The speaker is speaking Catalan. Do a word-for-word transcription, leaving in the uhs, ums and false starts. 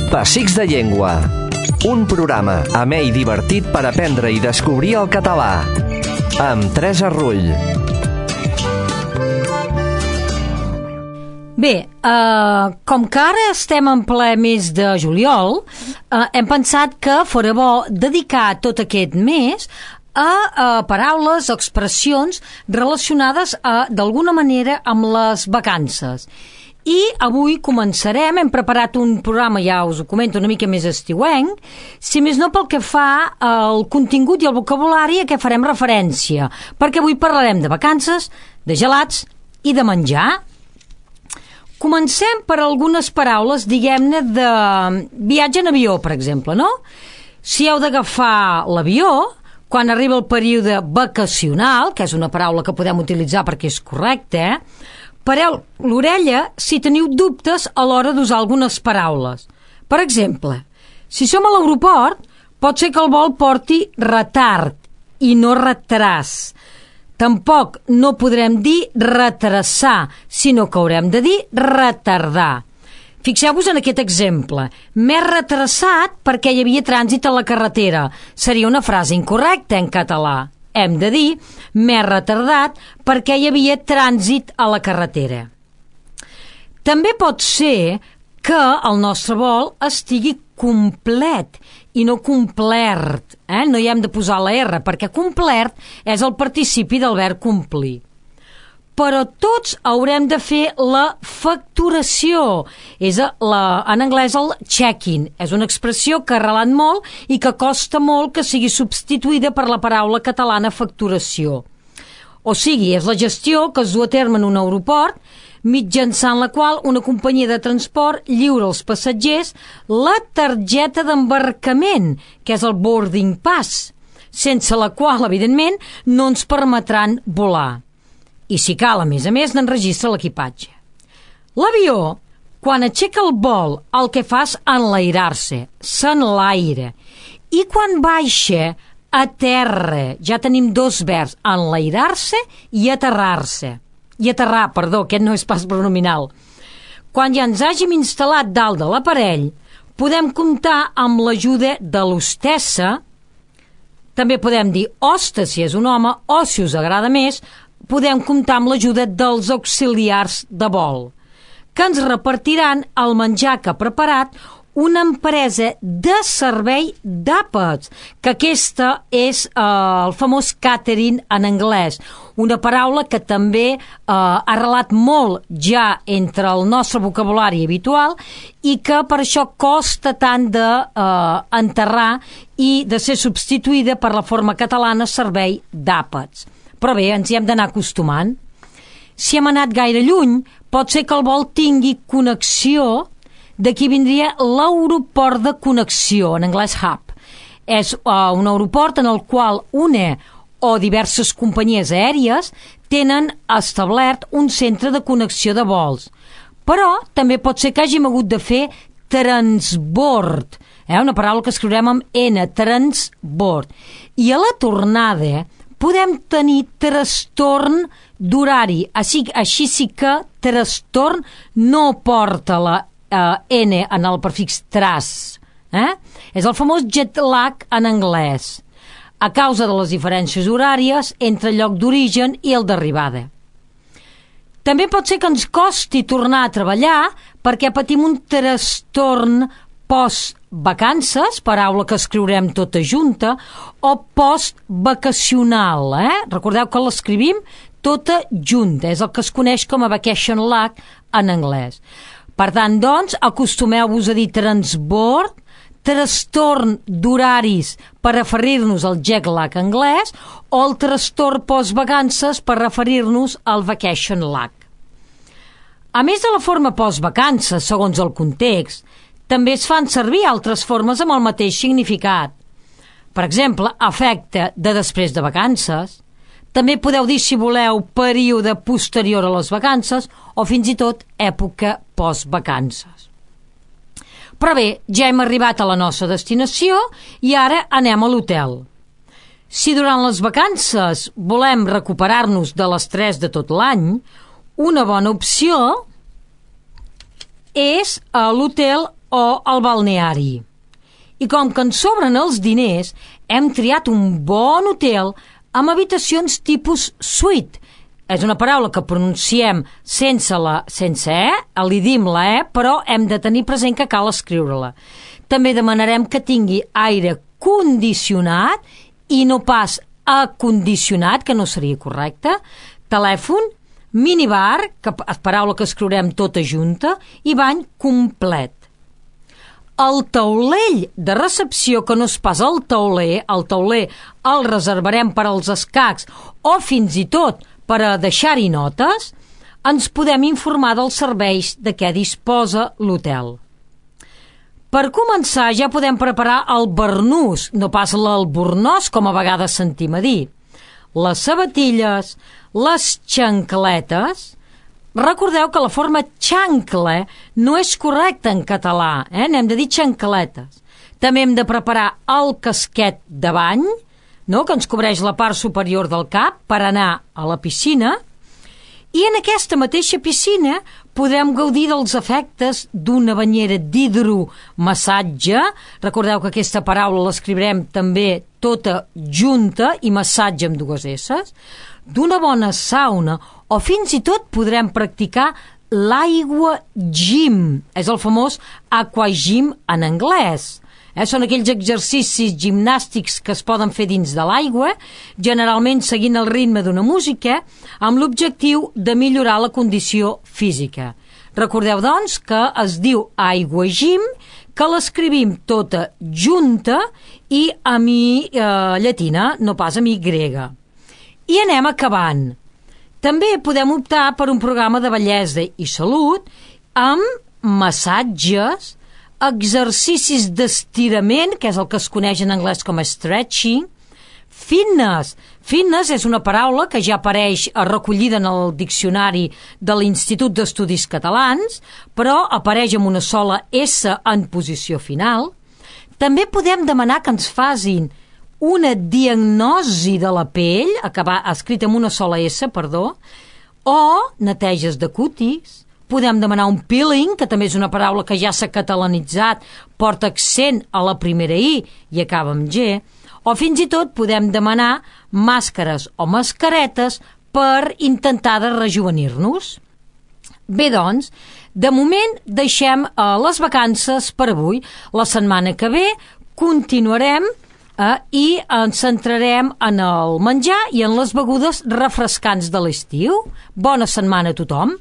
Pessics de Llengua. Un programa amè i divertit per aprendre i descobrir el català. Amb Teresa Rull. Bé, eh, com que ara estem en ple mes de juliol, eh, hem pensat que fora bo dedicar tot aquest mes a, a paraules, expressions relacionades d'alguna manera amb les vacances. I avui començarem, hem preparat un programa, ja us ho comento, una mica més estiuenc, si més no pel que fa al contingut i al vocabulari a què farem referència, perquè avui parlarem de vacances, de gelats i de menjar. Comencem per algunes paraules, diguem-ne, de viatge en avió, per exemple, no? Si heu d'agafar l'avió, quan arriba el període vacacional, que és una paraula que podem utilitzar perquè és correcta, eh? Pareu l'orella si teniu dubtes a l'hora d'usar algunes paraules. Per exemple, si som a l'aeroport, pot ser que el vol porti retard i no retràs. Tampoc no podrem dir retrasar, sinó que haurem de dir retardar. Fixeu-vos en aquest exemple. M'he retrasat perquè hi havia trànsit a la carretera. Seria una frase incorrecta en català. Hem de dir m'he retardat perquè hi havia trànsit a la carretera. També pot ser que el nostre vol estigui complet i no complert. Eh? No hi hem de posar la R perquè complert és el participi del verb complir. Però tots haurem de fer la facturació. És la, en anglès el check-in. És una expressió que ha arrelat molt i que costa molt que sigui substituïda per la paraula catalana facturació. O sigui, és la gestió que es du a terme en un aeroport, mitjançant la qual una companyia de transport lliura als passatgers la targeta d'embarcament, que és el boarding pass, sense la qual, evidentment, no ens permetran volar. I si cal, a més a més, n'enregistra l'equipatge. L'avió, quan aixeca el vol, el que fa és enlairar-se, s'enlaira. I quan baixa, aterra. Ja tenim dos verbs, enlairar-se i aterrar-se. I aterrar, perdó, aquest no és pas pronominal. Quan ja ens hàgim instal·lat dalt de l'aparell, podem comptar amb l'ajuda de l'hostessa. També podem dir hoste si és un home, o si us agrada més, podem comptar amb l'ajuda dels auxiliars de vol, que ens repartiran el menjar que ha preparat una empresa de servei d'àpats, que aquesta és eh, el famós catering en anglès, una paraula que també eh, ha arrelat molt ja entre el nostre vocabulari habitual i que per això costa tant d'enterrar eh, i de ser substituïda per la forma catalana servei d'àpats. Però bé, ens hi hem d'anar acostumant. Si hem anat gaire lluny, pot ser que el vol tingui connexió. D'aquí vindria l'aeroport de connexió, en anglès hub. És uh, un aeroport en el qual una o diverses companyies aèries tenen establert un centre de connexió de vols. Però també pot ser que hàgim hagut de fer transbord, eh? Una paraula que escriurem amb N, transbord. I a la tornada podem tenir trastorn d'horari. Així, així sí que trastorn no porta la eh, N en el prefix tras. Eh? És el famós jet lag en anglès, a causa de les diferències horàries entre el lloc d'origen i el d'arribada. També pot ser que ens costi tornar a treballar perquè patim un trastorn post-vacances, paraula que escriurem tota junta, o post-vacacional. Eh? Recordeu que l'escrivim tota junta, és el que es coneix com a vacation lag en anglès. Per tant, doncs, acostumeu-vos a dir transbord, trastorn d'horaris per referir-nos al jet lag anglès o el trastorn post-vacances per referir-nos al vacation lag. A més de la forma post-vacances, segons el context, també es fan servir altres formes amb el mateix significat. Per exemple, efecte de després de vacances. També podeu dir, si voleu, període posterior a les vacances o fins i tot època post-vacances. Però bé, ja hem arribat a la nostra destinació i ara anem a l'hotel. Si durant les vacances volem recuperar-nos de l'estrès de tot l'any, una bona opció és a l'hotel o el balneari. I com que ens sobren els diners, hem triat un bon hotel amb habitacions tipus suite. És una paraula que pronunciem sense la sense e, li dim la e, però hem de tenir present que cal escriure-la. També demanarem que tingui aire condicionat i no pas acondicionat, que no seria correcte, telèfon, minibar, que és paraula que escriurem tota junta, i bany complet. El taulell de recepció, que no és pas el tauler, el tauler el reservarem per als escacs o fins i tot per a deixar-hi notes, ens podem informar dels serveis de què disposa l'hotel. Per començar, ja podem preparar el barnús, no pas l'albornoz, com a vegades sentim a dir. Les sabatilles, les xancletes. Recordeu que la forma xancle no és correcta en català, eh? N'hem de dir xancletes. També hem de preparar el casquet de bany, no? Que ens cobreix la part superior del cap per anar a la piscina, i en aquesta mateixa piscina podrem gaudir dels efectes d'una banyera d'hidromassatge. Recordeu que aquesta paraula l'escriurem també tota junta i massatge amb dues esses, d'una bona sauna, o fins i tot podrem practicar l'aigua gym, és el famós aquagym en anglès. Eh, són aquells exercicis gimnàstics que es poden fer dins de l'aigua, generalment seguint el ritme d'una música, amb l'objectiu de millorar la condició física. Recordeu, doncs, que es diu aigua gym, que l'escrivim tota junta i amb i eh, llatina, no pas amb i grega. I anem acabant. També podem optar per un programa de bellesa i salut amb massatges, exercicis d'estirament, que és el que es coneix en anglès com a stretching, fitness. Fitness és una paraula que ja apareix recollida en el diccionari de l'Institut d'Estudis Catalans, però apareix amb una sola S en posició final. També podem demanar que ens facin una diagnosi de la pell, acabar, escrita amb una sola S, perdó, o neteges de cutis. Podem demanar un peeling, que també és una paraula que ja s'ha catalanitzat, porta accent a la primera I i acaba amb G, o fins i tot podem demanar màscares o mascaretes per intentar de rejuvenir-nos. Bé, doncs, de moment deixem eh, les vacances per avui. La setmana que ve continuarem eh, i ens centrarem en el menjar i en les begudes refrescants de l'estiu. Bona setmana a tothom!